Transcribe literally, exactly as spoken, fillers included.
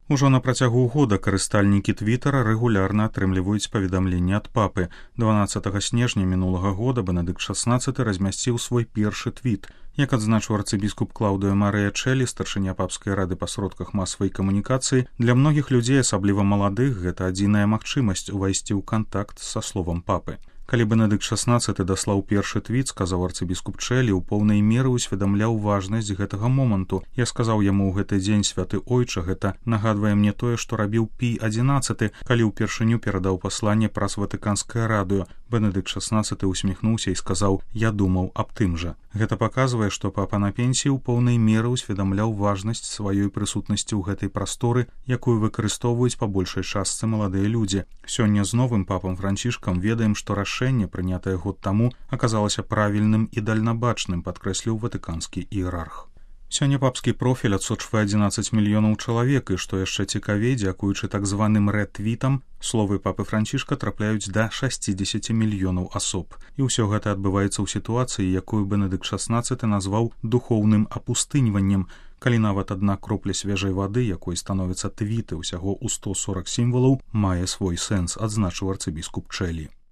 Ужо на працягу года карыстальнікі твітара рэгулярна атрымліваюць паведамленні ад папы. дванаццатага снежня мінулага года Бенедыкт шаснаццаты размясціў свой першы твіт. Як адзначыў арцыбіскуп Клаўдыо Марыя Чэлі, старшыня папскай рады па сродках масавай камунікацыі, для многіх людзей, асабліва маладых, гэта адзіная магчымасць увайсці ў кантакт са словам папы. Калі Бенедыкт шаснаццаты даслаў першы твіт, сказаў арцыбіскуп Чэлі, у поўнай меры ўсведамляў важнасць гэтага моманту. Я сказаў яму ў гэты дзень: святы ойча, гэта нагадвае мне тое, што рабіў Пій адзінаццаты, калі ўпершыню перадаў пасланне праз ватыканскае радыё. Бенедыкт шаснаццаты усміхнуўся і сказаў: я думаў аб тым жа. Гэта паказвае, што папа на пенсіі ў поўнай меры ўсведамляў важнасць сваёй прысутнасці ў гэтай прасторы, якую выкарыстоўваюць па большай частцы маладыя людзі. Сёння з новым папам Францішкам ведаем, што рашэнне, прынятае год таму, аказалася правільным і дальнабачным, падкрэсліў ватыканскі іерарх. Сёння папскі профіль адсочвае адзінаццаць мільёнаў чалавек, і што яшчэ цікавей, дзякуючы так званым рэт-твітам, словы папы Францішка трапляюць да шасцідзесяці мільёнаў асоб. І ўсё гэта адбываецца ў сітуацыі, якую Бенедыкт шаснаццаты назваў духоўным апустыньваннем, калі нават адна кропля свежай вады, якой становяцца твіты ўсяго ў сто сорак сімвалаў, мае свой сэнс, адзначыў арцыбіскуп Чэлі.